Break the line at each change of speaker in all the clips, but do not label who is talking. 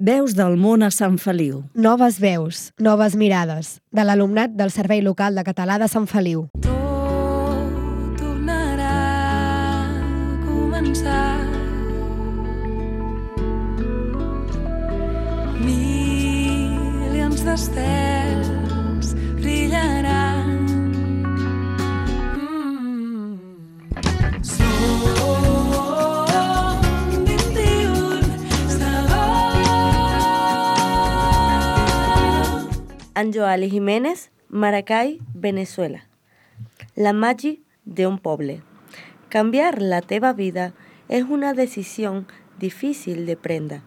Veus del món a Sant Feliu.
Noves veus, noves mirades, de l'alumnat del Servei Local de Català de Sant Feliu.
Tot tornarà a començar. Milions d'estels brillaran.
Anjoali Jiménez, Maracay, Venezuela. La màgia d'un poble. Canviar la teva vida és una decisió difícil de prendre.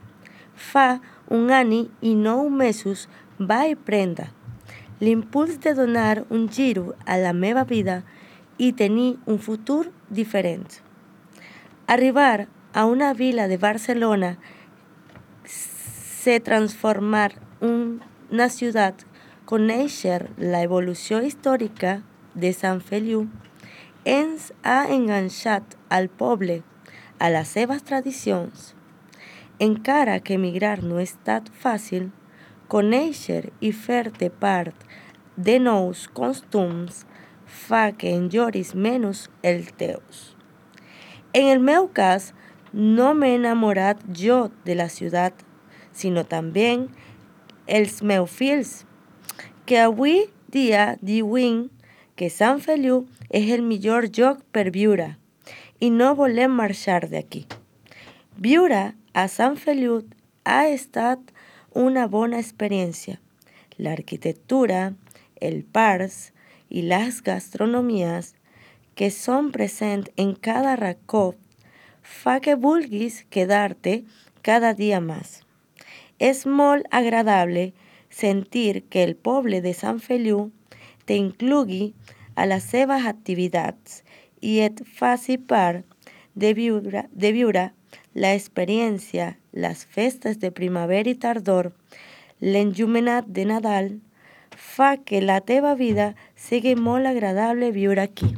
Fa un any i 9 mesos vaig prendre l'impuls de donar un giro a la meva vida i tenir un futur diferent. Arribar a una vila de Barcelona se transformar una ciutat, conèixer l'evolució històrica de Sant Feliu ens ha enganxat al poble, a les seves tradicions. Encara que emigrar no ha estat fàcil, conèixer i fer-te part de nous costums fa que enjoris menys els teus. En el meu cas, no m'he enamorat jo de la ciutat, sinó també els meus fills, que avui dia diuen que Sant Feliu és el millor lloc per viure i no volem marxar d'aquí. Viure a Sant Feliu ha estat una bona experiència. L'arquitectura, els parcs i les gastronomies que són presents en cada racó fa que vulguis quedar-te cada dia més. És molt agradable sentir que el poble de Sant Feliu t'inclogui a les seves activitats i et faci part de viure l'experiència, les festes de primavera i tardor, l'enllumenat de Nadal, fa que la teva vida sigui molt agradable viure aquí.